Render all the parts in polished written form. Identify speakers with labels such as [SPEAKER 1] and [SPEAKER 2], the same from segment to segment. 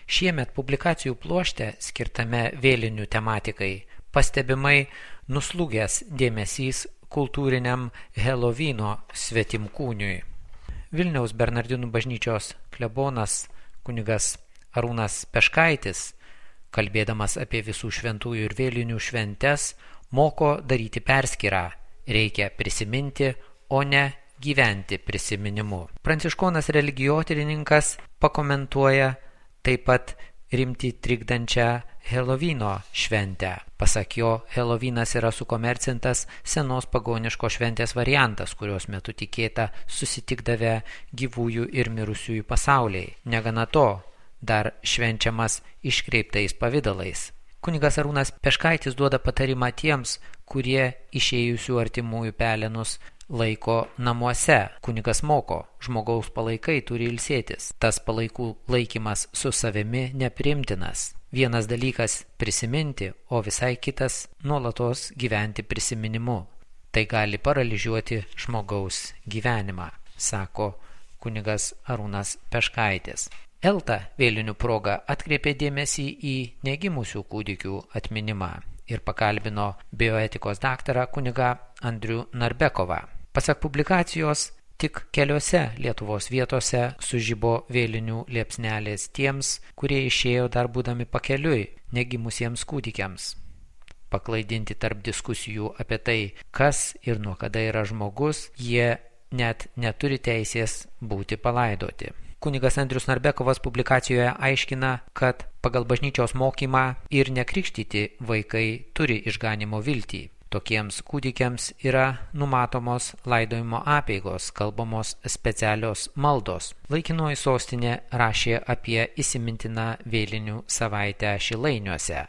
[SPEAKER 1] Šiemet publikacijų pluošte skirtame vėlinių tematikai pastebimai nuslūgęs dėmesys kultūriniam Helovyno svetimkūniui. Vilniaus Bernardinų bažnyčios klebonas kunigas Arūnas Peškaitis, kalbėdamas apie visų šventųjų ir vėlinių šventes, moko daryti perskyrą. Reikia prisiminti, o ne gyventi prisiminimu. Pranciškonas religijotyrininkas pakomentuoja taip pat rimtį trikdančią Helovyno šventę. Pasak jo, Helovynas yra sukomercintas senos pagoniškos šventės variantas, kurios metu tikėta susitikdavę gyvųjų ir mirusiųjų pasauliai. Negana to, dar švenčiamas iškreiptais pavidalais. Kunigas Arūnas Peškaitis duoda patarimą tiems, kurie išėjusių artimųjų pelenus laiko namuose. Kunigas moko, žmogaus palaikai turi ilsėtis. Tas palaikų laikymas su savimi nepriimtinas. Vienas dalykas prisiminti, o visai kitas nuolatos gyventi prisiminimu. Tai gali paralyžiuoti žmogaus gyvenimą, sako kunigas Arūnas Peškaitis. Elta vėlinių proga atkreipė dėmesį į negimusių kūdikių atminimą ir pakalbino bioetikos daktarą kunigą Andrių Narbekovą. Pasak publikacijos, tik keliose Lietuvos vietose sužibo vėlinių liepsnelės tiems, kurie išėjo dar būdami pakeliui negimusiems kūdikiams. Paklaidinti tarp diskusijų apie tai, kas ir nuo kada yra žmogus, jie net neturi teisės būti palaidoti. Kunigas Andrius Narbekovas publikacijoje aiškina, kad pagal bažnyčios mokymą ir nekrikštyti vaikai turi išganimo viltį. Tokiems kūdikiams yra numatomos laidojimo apeigos, kalbamos specialios maldos. Laikinoji sostinė rašė apie įsimintiną vėlinių savaitę Šilainiuose.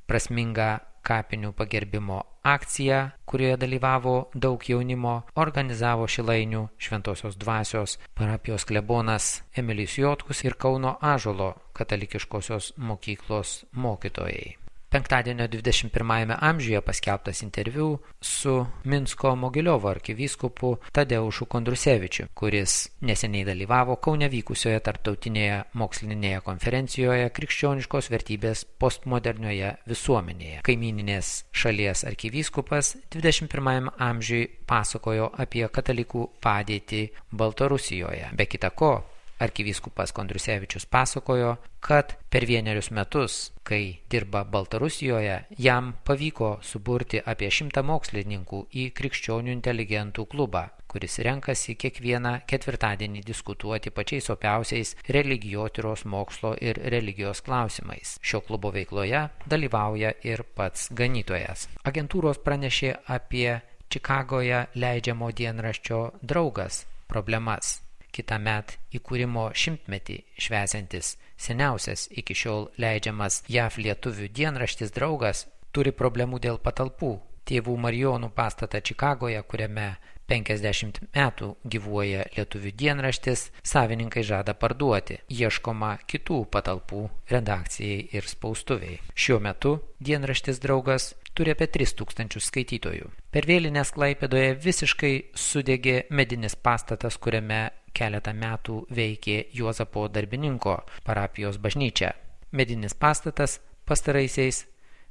[SPEAKER 1] Prasmingą kapinių pagerbimo akciją, kurioje dalyvavo daug jaunimo, organizavo Šilainių Šventosios dvasios parapijos klebonas Emilijus Jotkus ir Kauno Ąžuolo katalikiškosios mokyklos mokytojai. Penktadienio 21 amžiuje paskelbtas interviu su Minsko Mogiliovo arkivyskupu Tadeušu Kondrusevičiu, kuris neseniai dalyvavo Kaune vykusioje tarptautinėje mokslinėje konferencijoje Krikščioniškos vertybės postmodernioje visuomenėje. Kaimyninės šalies arkivyskupas 21 amžiui pasakojo apie katalikų padėtį Baltarusijoje. Be kita ko, arkivyskupas Kondrusevičius pasakojo, kad per 1 metus, kai dirba Baltarusijoje, jam pavyko suburti apie 100 mokslininkų į krikščionių inteligentų klubą, kuris renkasi kiekvieną ketvirtadienį diskutuoti pačiais opiausiais religijotyros mokslo ir religijos klausimais. Šio klubo veikloje dalyvauja ir pats ganytojas. Agentūros pranešė apie Čikagoje leidžiamo dienraščio Draugas problemas. Kitąmet įkūrimo 100-metį švęsiantis seniausias iki šiol leidžiamas JAV lietuvių dienraštis Draugas turi problemų dėl patalpų. Tėvų Marijonų pastatą Čikagoje, kuriame 50 metų gyvuoja lietuvių dienraštis, savininkai žada parduoti. Ieškoma kitų patalpų redakcijai ir spaustuviai. Šiuo metu dienraštis Draugas turi apie 3000 skaitytojų. Per vėlines Klaipėdoje visiškai sudegė medinis pastatas, kuriame keletą metų veikė Juozapo Darbininko parapijos bažnyčia. Medinis pastatas pastaraisiais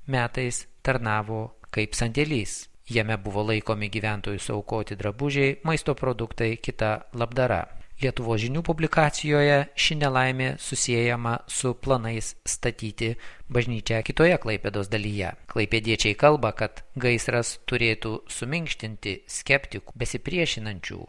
[SPEAKER 1] metais tarnavo kaip sandėlys. Jame buvo laikomi gyventojų suaukoti drabužiai, maisto produktai, kita labdara. Lietuvos žinių publikacijoje ši nelaimė susiejama su planais statyti bažnyčią kitoje Klaipėdos dalyje. Klaipėdiečiai kalba, kad gaisras turėtų suminkštinti skeptikų besipriešinančių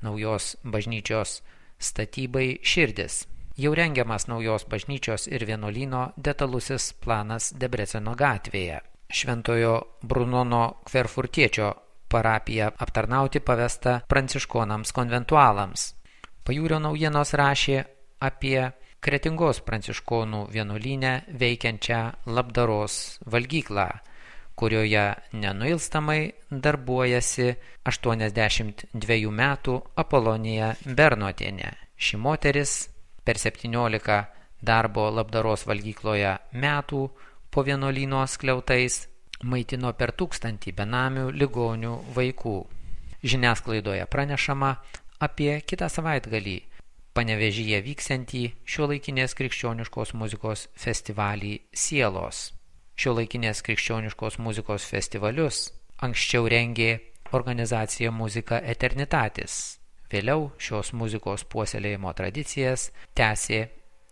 [SPEAKER 1] naujos bažnyčios statybai širdis. Jau rengiamas naujos bažnyčios ir vienuolyno detalusis planas Debreceno gatvėje. Šventojo Brunono Kverfurtiečio parapiją aptarnauti pavesta pranciškonams konventualams. Pajūrio naujienos rašė apie Kretingos pranciškonų vienuolyne veikiančią labdaros valgyklą, kurioje nenuilstamai darbuojasi 82 metų Apolonija Bernotienė. Ši moteris per 17 darbo labdaros valgykloje metų po vienuolyno skliautais maitino per 1000 benamių ligonių vaikų. Žiniasklaidoje pranešama apie kitą savaitgalį Panevėžyje vyksiantį šiuolaikinės krikščioniškos muzikos festivalį Sielos. Šiuolaikinės krikščioniškos muzikos festivalius anksčiau rengė organizacija Muzika Eternitatis. Vėliau šios muzikos puoselėjimo tradicijas tęsė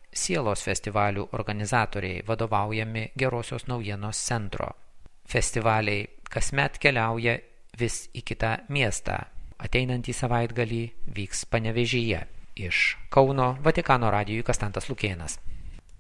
[SPEAKER 1] Sielos festivalių organizatoriai vadovaujami Gerosios naujienos centro. Festivaliai kasmet keliauja vis į kitą miestą. Ateinantį savaitgalį vyks Panevėžyje. Iš Kauno Vatikano radijui Kastantas Lukėnas.